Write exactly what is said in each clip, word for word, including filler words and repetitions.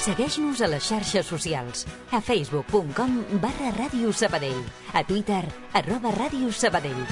Segueix-nos a les xarxes socials. A facebook punt com barra Ràdio Sabadell. A Twitter, arroba Ràdio Sabadell.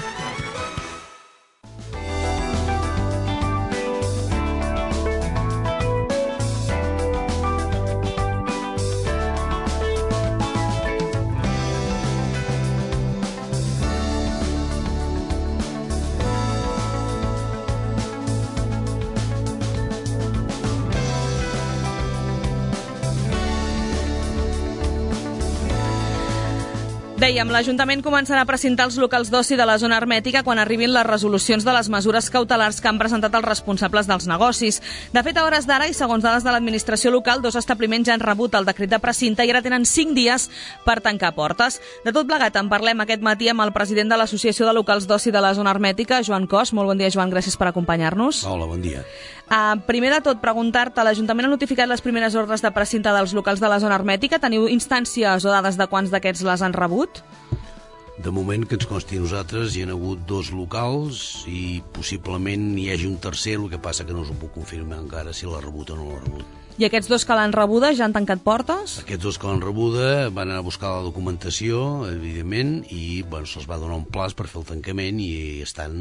Dèiem, l'Ajuntament començarà a precintar els locals d'oci de la zona hermètica quan arribin les resolucions de les mesures cautelars que han presentat els responsables dels negocis. De fet, a hores d'ara, i segons dades de l'administració local, dos establiments ja han rebut el decret de precinte i ara tenen cinc dies per tancar portes. De tot plegat, en parlem aquest matí amb el president de l'Associació de Locals d'Oci de la zona hermètica, Joan Cos. Molt bon dia, Joan, gràcies per acompanyar-nos. Hola, bon dia. Uh, primer de tot, preguntar-te, l'Ajuntament ha notificat les primeres ordres de precinte dels locals de la zona hermètica. Teniu instàncies o dades de quants d'aquests les han rebut? De moment, que ens consti a nosaltres, hi ha hagut dos locals i possiblement hi hagi un tercer, el que passa que no us ho puc confirmar encara si l'ha rebut o no l'ha rebut. I aquests dos que l'han rebuda ja han tancat portes? Aquests dos que l'han rebuda van anar a buscar la documentació, evidentment, i bueno, se'ls va donar un plaç per fer el tancament i estan,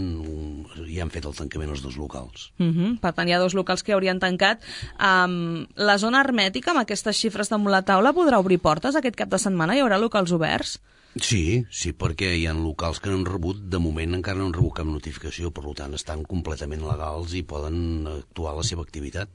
ja han fet el tancament els dos locals. Uh -huh. Per tant, hi ha dos locals que haurien tancat. Um, la zona hermètica, amb aquestes xifres damunt la taula, podrà obrir portes aquest cap de setmana? Hi haurà locals oberts? Sí, sí, perquè hi ha locals que no han rebut, de moment encara no han rebut cap notificació, per tant estan completament legals i poden actuar la seva activitat.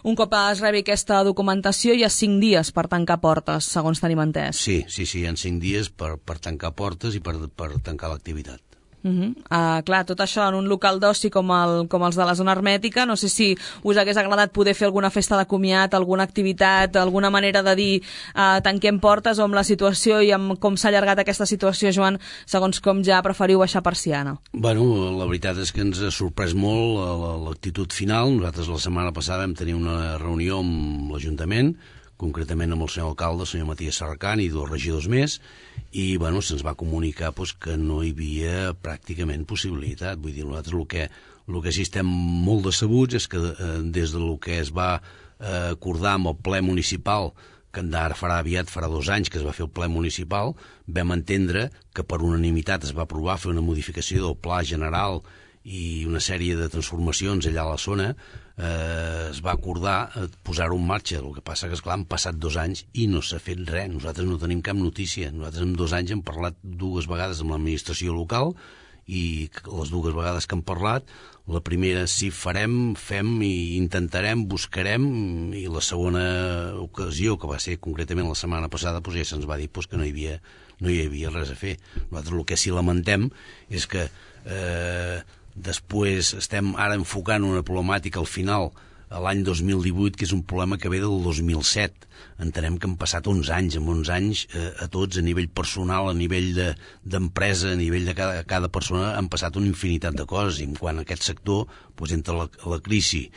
Un cop es rebi aquesta documentació hi ha cinc dies per tancar portes, segons tenim entès. Sí, sí, sí, hi ha cinc dies per, per tancar portes i per, per tancar l'activitat. Uh -huh. uh, clar, tot això en un local d'oci com, el, com els de la zona hermètica, no sé si us hagués agradat poder fer alguna festa de comiat, alguna activitat, alguna manera de dir uh, tanquem portes, o amb la situació i amb com s'ha allargat aquesta situació, Joan, segons com ja preferiu baixar persiana. Bueno, la veritat és que ens ha sorprès molt l'actitud final. Nosaltres la setmana passada vam tenir una reunió amb l'Ajuntament, concretament amb el senyor alcalde, el senyor Matías Sarracán, i dos regidors més, i bueno, se'ns va comunicar pues, que no hi havia pràcticament possibilitat. Vull dir, nosaltres el que, el que sí estem molt decebuts és que eh, des del que es va eh, acordar amb el ple municipal, que ara farà aviat, farà dos anys que es va fer el ple municipal, vam entendre que per unanimitat es va aprovar fer una modificació del pla general i una sèrie de transformacions allà a la zona. Eh, es va acordar eh, posar-ho en marxa. El que passa que, esclar, han passat dos anys i no s'ha fet res. Nosaltres no tenim cap notícia. Nosaltres en dos anys hem parlat dues vegades amb l'administració local i les dues vegades que hem parlat, la primera sí farem, fem i intentarem, buscarem, i la segona ocasió, que va ser concretament la setmana passada, doncs ja se'ns va dir doncs, que no hi havia, no hi havia res a fer. Nosaltres el que sí lamentem és que eh, després estem ara enfocant una problemàtica al final, a l'any dos mil divuit, que és un problema que ve del dos mil set. Entenem que han passat onze anys, amb onze anys eh, a tots, a nivell personal, a nivell d'empresa, de, a nivell de cada, cada persona, han passat una infinitat de coses, i quan aquest sector, doncs, entre la, la crisi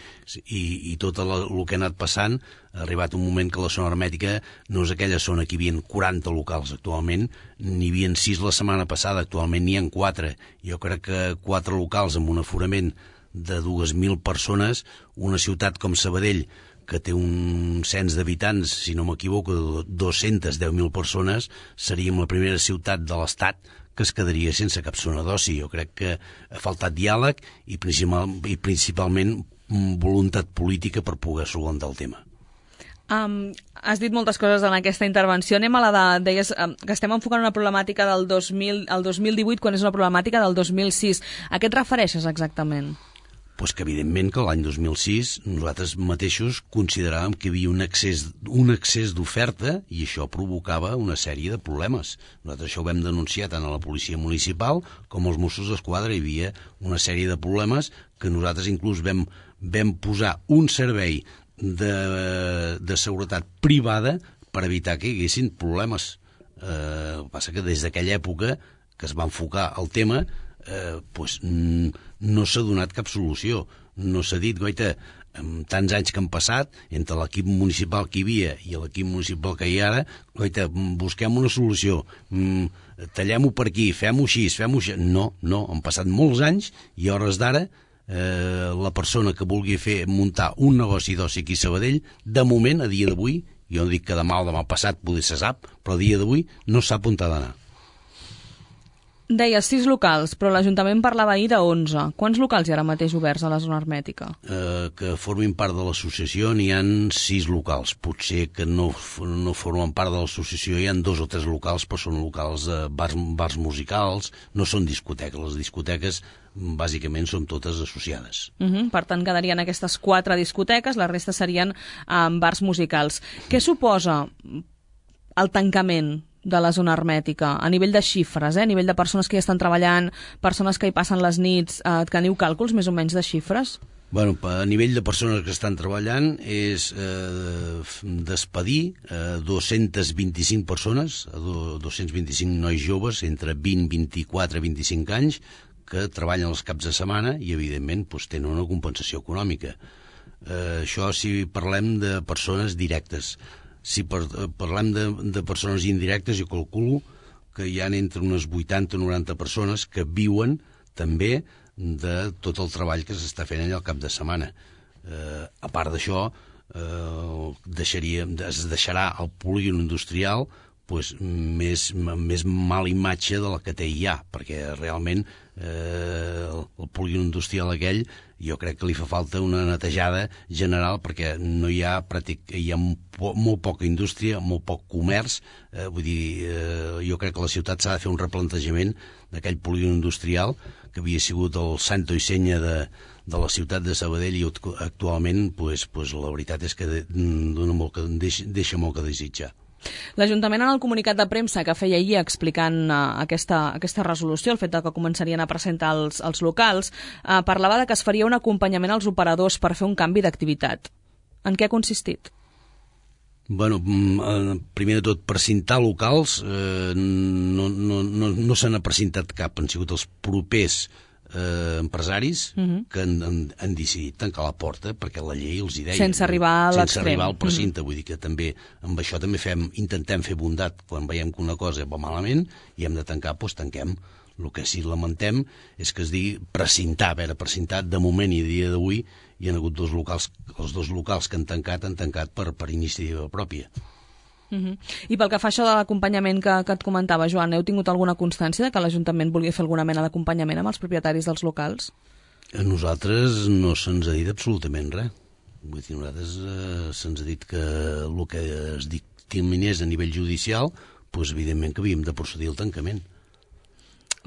i, i tot el que ha anat passant, ha arribat un moment que la zona hermètica no és aquella zona que hi havia quaranta locals actualment, n'hi havia sis la setmana passada, actualment n'hi ha quatre. Jo crec que quatre locals amb un aforament de dues mil persones, una ciutat com Sabadell, que té un cens d'habitants, si no m'equivoco, de dos-centes deu mil persones, seríem la primera ciutat de l'Estat que es quedaria sense cap zona d'oci. Jo crec que ha faltat diàleg i, principal, i principalment voluntat política per poder solucionar el tema. Um, has dit moltes coses en aquesta intervenció. Anem a la de... Deies um, que estem enfocant una problemàtica del dos mil, el dos mil divuit, quan és una problemàtica del dos mil sis. A què et refereixes exactament? Pues que evidentment que l'any dos mil sis nosaltres mateixos consideràvem que hi havia un excés, un excés d'oferta i això provocava una sèrie de problemes. Nosaltres això ho vam denunciar tant a la policia municipal com als Mossos d'Esquadra. Hi havia una sèrie de problemes que nosaltres inclús vam, vam posar un servei de, de seguretat privada per evitar que hi haguessin problemes. Eh, el que passa que des d'aquella època que es va enfocar el tema Eh, pues, no s'ha donat cap solució. No s'ha dit, goita, en tants anys que han passat, entre l'equip municipal que hi havia i l'equip municipal que hi ha ara, goita, busquem una solució, tallem-ho per aquí, fem-ho així, fem-ho així. No, no, han passat molts anys i a hores d'ara eh, la persona que vulgui fer muntar un negoci d'oci aquí a Sabadell, de moment, a dia d'avui, Jo no dic que demà o demà passat poder se sap, però a dia d'avui no sap on ha d'anar. Deia sis locals, però l'Ajuntament parlava ahir de onze. Quants locals hi ha ara mateix oberts a la zona hermètica? Eh, que formin part de l'associació n'hi ha sis locals. Potser que no, no formen part de l'associació, hi ha dos o tres locals, però són locals de bars, bars musicals, no són discoteques. Les discoteques bàsicament són totes associades. Uh -huh. Per tant, quedarien aquestes quatre discoteques, la resta serien um, bars musicals. Què suposa el tancament de la zona hermètica, a nivell de xifres, eh? a nivell de persones que hi estan treballant, persones que hi passen les nits, eh, teniu càlculs més o menys de xifres? Bueno, a nivell de persones que estan treballant és eh, despedir eh, dos-centes vint-i-cinc persones, dos-cents vint-i-cinc nois joves entre vint, vint-i-quatre i vint-i-cinc anys que treballen els caps de setmana i evidentment doncs, tenen una compensació econòmica. Eh, això si parlem de persones directes. Si par parlem de, de persones indirectes, jo calculo que hi ha entre unes vuitanta o noranta persones que viuen també de tot el treball que s'està fent allà al cap de setmana. Eh, a part d'això, eh, deixaria, es deixarà el polígon industrial pues, més, més mala imatge de la que té ja, perquè realment eh, el, el polígon industrial aquell jo crec que li fa falta una netejada general perquè no hi ha, pràctic, hi ha po molt poca indústria, molt poc comerç, eh, vull dir, eh, jo crec que la ciutat s'ha de fer un replantejament d'aquell polígon industrial que havia sigut el santo i senya de, de la ciutat de Sabadell i actualment pues, pues, la veritat és que dona molt que, deixa, deixa molt que desitjar. L'Ajuntament en el comunicat de premsa que feia ahir explicant uh, aquesta, aquesta resolució, el fet de que començarien a presentar els, els locals, uh, parlava de que es faria un acompanyament als operadors per fer un canvi d'activitat. En què ha consistit? Bueno, primer de tot, precintar locals eh, no, no, no, no se n'ha precintat cap, han sigut els propers Eh, empresaris uh-huh. que han, han, han decidit tancar la porta perquè la llei els hi deia. Sense arribar a l'extrem. Sense arribar al precinte. Uh-huh. Vull dir que també amb això també fem, intentem fer bondat quan veiem que una cosa va malament i hem de tancar, doncs tanquem. El que sí lamentem és que es digui precintar. A veure, precintar de moment i a dia d'avui hi ha hagut dos locals, els dos locals que han tancat han tancat per, per iniciativa pròpia. Uh-huh. I pel que fa això de l'acompanyament que, que et comentava, Joan, heu tingut alguna constància de que l'Ajuntament volia fer alguna mena d'acompanyament amb els propietaris dels locals? A nosaltres no se'ns ha dit absolutament res. Vull dir, a nosaltres eh, se'ns ha dit que el que es dictaminés a nivell judicial, doncs evidentment que havíem de procedir al tancament.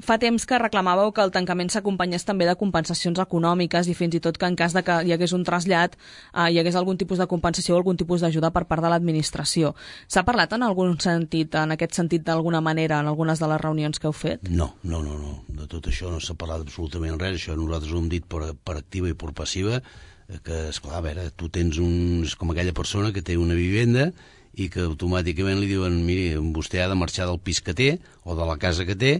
Fa temps que reclamàveu que el tancament s'acompanyés també de compensacions econòmiques i fins i tot que en cas de que hi hagués un trasllat eh, hi hagués algun tipus de compensació o algun tipus d'ajuda per part de l'administració. S'ha parlat en algun sentit, en aquest sentit d'alguna manera, en algunes de les reunions que heu fet? No, no, no, no. De tot això no s'ha parlat absolutament res. Això nosaltres ho hem dit per, per activa i per passiva, que, esclar, a veure, tu tens un... és com aquella persona que té una vivenda i que automàticament li diuen, miri, vostè ha de marxar del pis que té o de la casa que té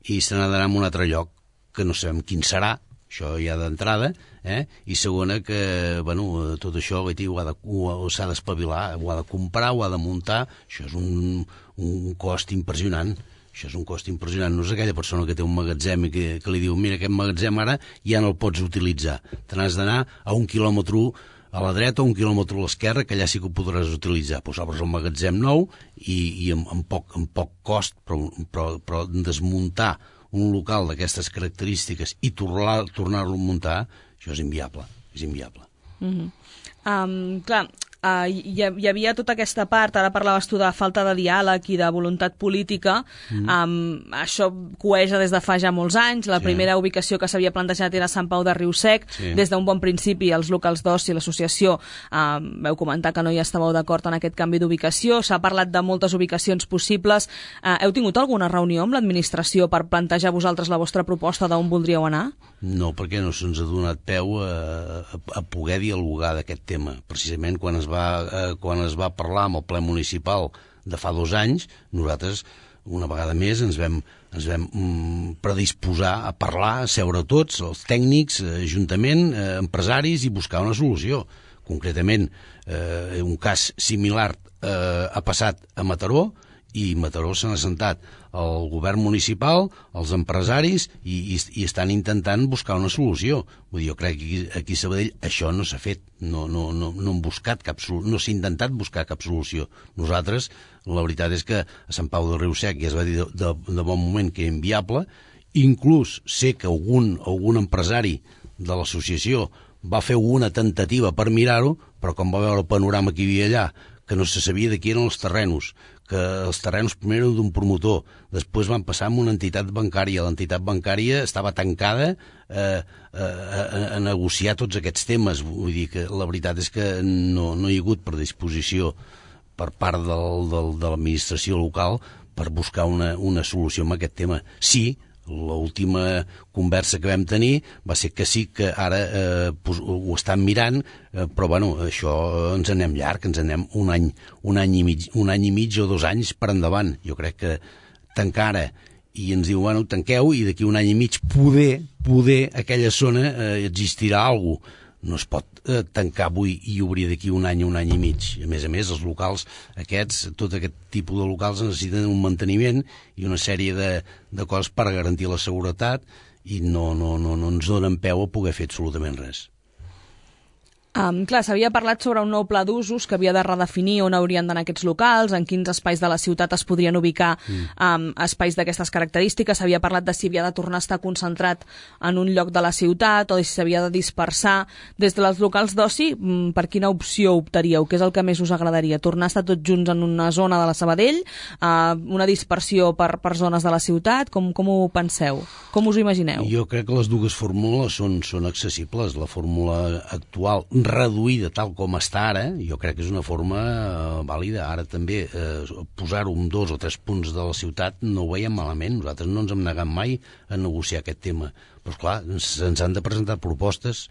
i se n'ha d'anar a un altre lloc, que no sabem quin serà, això ja d'entrada, eh? I segona que, bueno, tot això s'ha d'espavilar, ho ha de comprar, ho ha de muntar, això és un, un cost impressionant, això és un cost impressionant, no és aquella persona que té un magatzem i que, que li diu, mira, aquest magatzem ara ja no el pots utilitzar, te n'has d'anar a un quilòmetre a la dreta o un quilòmetre a l'esquerra, que allà sí que ho podràs utilitzar. Pues obres un magatzem nou i, i amb, amb, poc, amb poc cost, però, però, però desmuntar un local d'aquestes característiques i tornar-lo tornar a muntar, això és inviable, és inviable. Mm-hmm. um, clar, uh, hi, hi havia tota aquesta part, ara parlaves tu de falta de diàleg i de voluntat política, mm. um, això coeja des de fa ja molts anys, la sí. primera ubicació que s'havia plantejat era Sant Pau de Riu-sec, sí. des d'un bon principi els locals d'oci i l'associació um, veu comentar que no hi estàveu d'acord en aquest canvi d'ubicació, s'ha parlat de moltes ubicacions possibles, uh, heu tingut alguna reunió amb l'administració per plantejar vosaltres la vostra proposta d'on voldríeu anar? No, perquè no se'ns ha donat peu a, a, a poder dialogar d'aquest tema. Precisament quan es, va, eh, quan es va parlar amb el ple municipal de fa dos anys, nosaltres, una vegada més, ens vam, ens vam mm, predisposar a parlar, a seure tots, els tècnics, ajuntament, eh, empresaris, i buscar una solució. Concretament, eh, un cas similar eh, ha passat a Mataró, i Mataró s'han assentat el govern municipal, els empresaris, i, i, i estan intentant buscar una solució. Vull dir, jo crec que aquí, aquí a Sabadell això no s'ha fet, no, no, no, no, han buscat cap, no s'ha intentat buscar cap solució. Nosaltres, la veritat és que a Sant Pau de Riu-sec ja es va dir de, de, de bon moment que era inviable, inclús sé que algun, algun empresari de l'associació va fer una temptativa per mirar-ho, però com va veure el panorama que hi havia allà, que no se sabia de qui eren els terrenos, que els terrenos primer eren d'un promotor, després van passar a una entitat bancària, l'entitat bancària estava tancada eh, a, a, a negociar tots aquests temes. Vull dir que la veritat és que no, no hi ha hagut predisposició per part del, del, de l'administració local per buscar una, una solució a aquest tema. Sí, l'última conversa que vam tenir va ser que sí que ara eh, pues, ho estan mirant, eh, però bueno, això ens anem llarg, ens anem un any, un any i mig, un any i mig o dos anys per endavant. Jo crec que tancar ara i ens diu, bueno, tanqueu i d'aquí un any i mig poder, poder aquella zona eh, existirà alguna cosa. No es pot eh, tancar avui i obrir d'aquí un any, un any i mig. A més a més, els locals aquests, tot aquest tipus de locals necessiten un manteniment i una sèrie de, de coses per garantir la seguretat i no, no, no, no ens donen peu a poder fer absolutament res. Um, clar, s'havia parlat sobre un nou pla d'usos que havia de redefinir on haurien d'anar aquests locals, en quins espais de la ciutat es podrien ubicar mm. um, espais d'aquestes característiques. S'havia parlat de si havia de tornar a estar concentrat en un lloc de la ciutat o si s'havia de dispersar. Des dels locals d'oci, per quina opció optaríeu? Què és el que més us agradaria? Tornar a estar tots junts en una zona de la Sabadell? Uh, una dispersió per, per zones de la ciutat? Com, com ho penseu? Com us ho imagineu? Jo crec que les dues fórmules són, són accessibles. La fórmula actual reduïda tal com està ara, jo crec que és una forma eh, vàlida. Ara també eh, posar-ho en dos o tres punts de la ciutat no ho veiem malament. Nosaltres no ens hem negat mai a negociar aquest tema. Però, esclar, se'ns han de presentar propostes,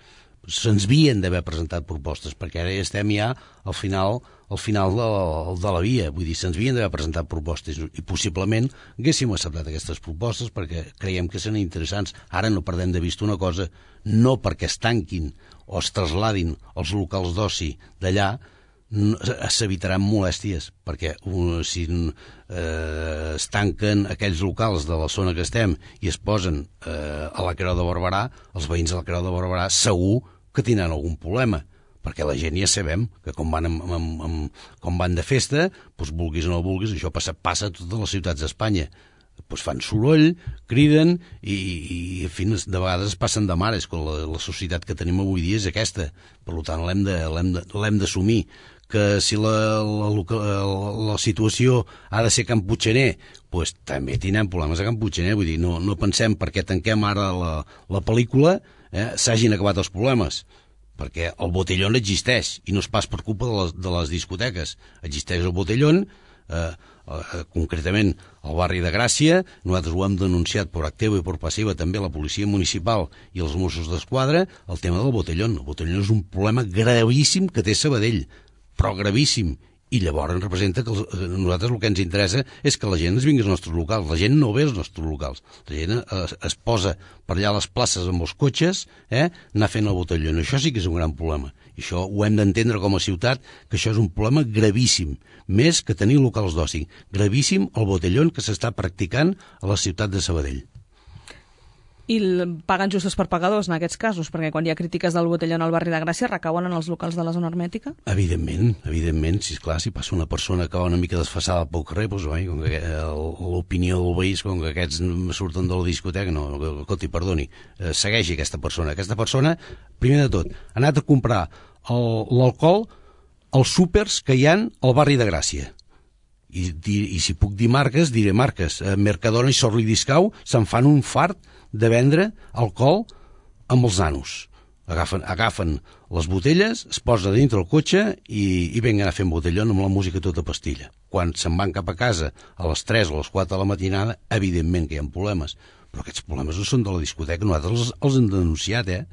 se'ns havien d'haver presentat propostes, perquè ara ja estem ja al final, al final de, la, de la via. Vull dir, se'ns havien d'haver presentat propostes i possiblement haguéssim acceptat aquestes propostes perquè creiem que són interessants. Ara no perdem de vista una cosa, no perquè es tanquin o es trasladin els locals d'oci d'allà, s'evitaran molèsties, perquè uh, si eh, es tanquen aquells locals de la zona que estem i es posen eh, a la Creu de Barberà, els veïns de la Creu de Barberà segur que tindran algun problema, perquè la gent ja sabem que com van, amb, amb, amb, com van de festa, doncs vulguis o no vulguis, això passa, passa a totes les ciutats d'Espanya. Doncs fan soroll, criden i, i en fi, de vegades es passen de mares, quan la, la societat que tenim avui dia és aquesta. Per tant, l'hem de, l'hem de, l'hem d'assumir. Que si la, la, la, la situació ha de ser Can Puigxaner, doncs també tindrem problemes a Can Puigxaner. Vull dir, no, no pensem perquè tanquem ara la, la pel·lícula eh, s'hagin acabat els problemes, perquè el botellón existeix i no és pas per culpa de les, de les discoteques. Existeix el botellón, eh, eh, concretament al barri de Gràcia. Nosaltres ho hem denunciat per activa i per passiva també la policia municipal i els Mossos d'Esquadra, el tema del botellón. El botellón és un problema gravíssim que té Sabadell, però gravíssim, i llavors representa que els, nosaltres el que ens interessa és que la gent es vingui als nostres locals. La gent no ve als nostres locals, la gent es, es posa per allà a les places amb els cotxes, eh, anar fent el botellón. Això sí que és un gran problema, i això ho hem d'entendre com a ciutat, que això és un problema gravíssim, més que tenir locals d'oci. Gravíssim el botellón que s'està practicant a la ciutat de Sabadell. I paguen justos per pagadors en aquests casos, perquè quan hi ha crítiques del botellón al barri de Gràcia recauen en els locals de la zona hermètica? Evidentment, evidentment, si esclar, si passa una persona que va una mica desfassada pel carrer, doncs, oi, com que l'opinió del veí és com que aquests surten de la discoteca, no, escolti, perdoni, eh, segueixi aquesta persona. Aquesta persona, primer de tot, ha anat a comprar l'alcohol als súpers que hi ha al barri de Gràcia. I, i, i si puc dir marques, diré marques. Eh, Mercadona i Sorri Discau se'n fan un fart de vendre alcohol amb els nanos. Agafen, agafen les botelles, es posa dintre el cotxe i, i venguen a fer botellón amb la música tota pastilla. Quan se'n van cap a casa a les tres o les quatre de la matinada, evidentment que hi ha problemes. Però aquests problemes no són de la discoteca, nosaltres els, els hem denunciat, eh?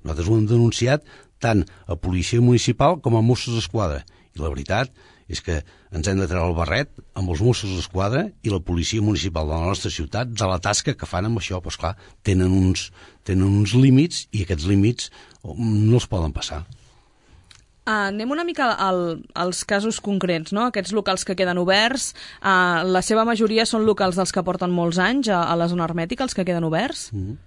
Nosaltres ho hem denunciat tant a Policia Municipal com a Mossos d'Esquadra. I la veritat és que ens hem de treure el barret amb els Mossos d'Esquadra i la Policia Municipal de la nostra ciutat de la tasca que fan amb això. Però, esclar, tenen uns, tenen uns límits i aquests límits no els poden passar. Uh, anem una mica al, als casos concrets, no? Aquests locals que queden oberts, uh, la seva majoria són locals dels que porten molts anys a, a la zona hermètica, els que queden oberts? Mm.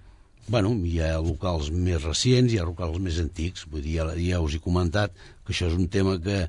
Bueno, hi ha locals més recents, hi ha locals més antics. Vull dir, ja, ja us he comentat que això és un tema que,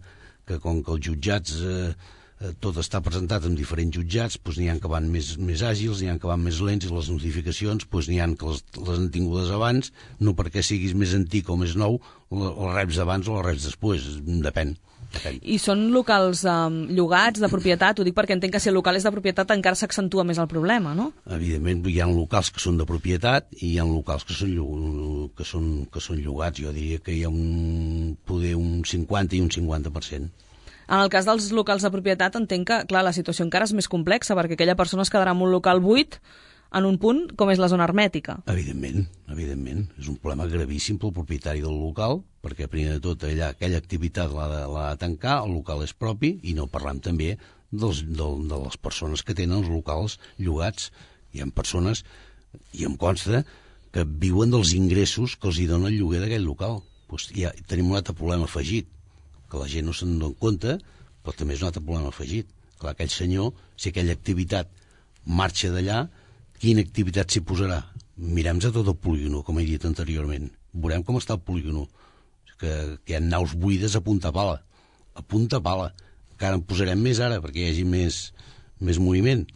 que com que els jutjats... Eh, tot està presentat en diferents jutjats, doncs n'hi ha que van més, més àgils, n'hi ha que van més lents, i les notificacions doncs n'hi ha que les, les han tingudes abans, no perquè siguis més antic o més nou, les reps abans o les reps després, depèn. depèn. I són locals um, llogats, de propietat? Ho dic perquè entenc que si el local és de propietat encara s'accentua més el problema, no? Evidentment, hi ha locals que són de propietat i hi ha locals que són, que són, que són llogats. Jo diria que hi ha un, poder un cinquanta i un cinquanta per cent. En el cas dels locals de propietat entenc que, clar, la situació encara és més complexa, perquè aquella persona es quedarà en un local buit en un punt com és la zona hermètica. Evidentment, evidentment. És un problema gravíssim pel propietari del local, perquè primer de tot allà aquella activitat l'ha de, l'ha de tancar, el local és propi, i no parlam també dels, del, de les persones que tenen els locals llogats. Hi ha persones, i em consta, que viuen dels ingressos que els hi dona el lloguer d'aquell local. Pues ja tenim un altre problema afegit, que la gent no se'n dona compte, però també és un altre problema afegit. Clar, aquell senyor, si aquella activitat marxa d'allà, quina activitat s'hi posarà? Mirem-nos a tot el polígono, com he dit anteriorment. Veurem com està el polígono, que, que hi ha naus buides a punta pala. A punta pala. Encara en posarem més ara, perquè hi hagi més, més moviment.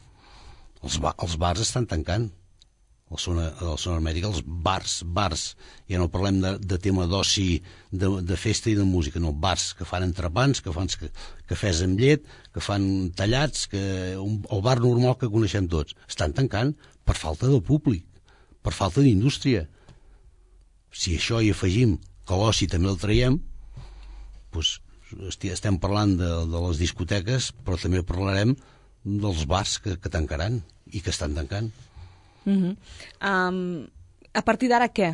Els, ba els bars estan tancant. A la zona, a la zona hermètica, els bars, bars, ja no parlem de, de tema d'oci, de, de festa i de música, no, bars que fan entrepans, que fan cafès amb llet, que fan tallats, que un, el bar normal que coneixem tots, estan tancant per falta de públic, per falta d'indústria. Si això hi afegim que l'oci també el traiem, doncs estem parlant de, de les discoteques, però també parlarem dels bars que, que tancaran i que estan tancant. Uh-huh. um, a partir d'ara què?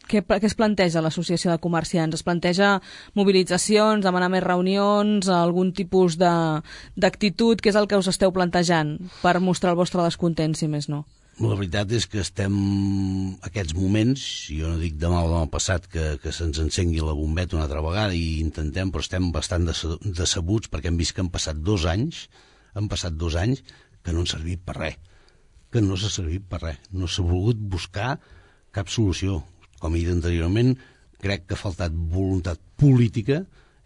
què? Què es planteja l'associació de comerciants? Es planteja mobilitzacions, demanar més reunions, algun tipus d'actitud? Què és el que us esteu plantejant per mostrar el vostre descontent, si més no? La veritat és que estem aquests moments, jo no dic demà o demà passat que, que se'ns encengui la bombeta una altra vegada i intentem, però estem bastant decebuts perquè hem vist que han passat dos anys han passat dos anys que no han servit per res que no s'ha servit per res, no s'ha volgut buscar cap solució. Com he dit anteriorment, crec que ha faltat voluntat política,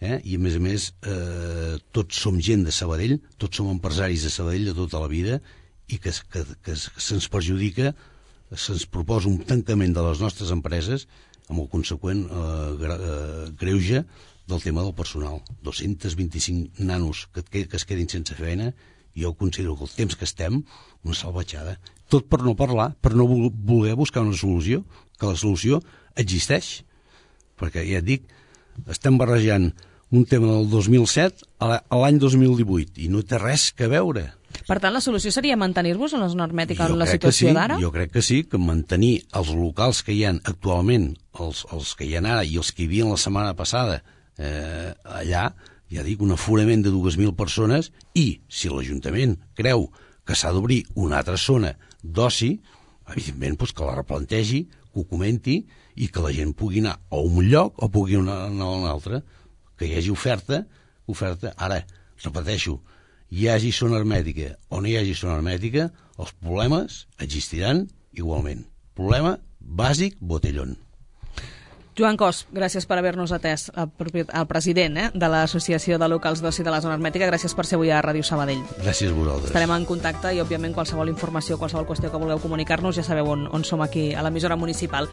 eh? I a més a més eh, tots som gent de Sabadell, tots som empresaris de Sabadell de tota la vida, i que, que, que se'ns perjudica, se'ns proposa un tancament de les nostres empreses amb el conseqüent eh, gra, eh, greuge del tema del personal. dos-cents vint-i-cinc nanos que, que, que es quedin sense feina. Jo considero que el temps que estem, una salvatjada. Tot per no parlar, per no voler buscar una solució, que la solució existeix. Perquè, ja et dic, estem barrejant un tema del dos mil set a l'any dos mil divuit i no té res que veure. Per tant, la solució seria mantenir-vos en la zona hermètica en la sí, situació d'ara? Jo crec que sí, que mantenir els locals que hi ha actualment, els, els que hi ha ara i els que hi havia la setmana passada eh, allà, ja dic, un aforament de dues mil persones, i si l'Ajuntament creu que s'ha d'obrir una altra zona d'oci, evidentment doncs, que la replantegi, que ho comenti i que la gent pugui anar a un lloc o pugui anar a un altre, que hi hagi oferta, oferta. Ara, repeteixo, hi hagi zona hermètica o no hi hagi zona hermètica, els problemes existiran igualment. Problema bàsic, botellón. Joan Cos, gràcies per haver-nos atès, el president eh, de l'Associació de Locals d'Oci de la Zona Hermètica. Gràcies per ser avui a Ràdio Sabadell. Gràcies a vosaltres. Estarem en contacte i, òbviament, qualsevol informació, qualsevol qüestió que vulgueu comunicar-nos, ja sabeu on, on som aquí a l'emissora municipal.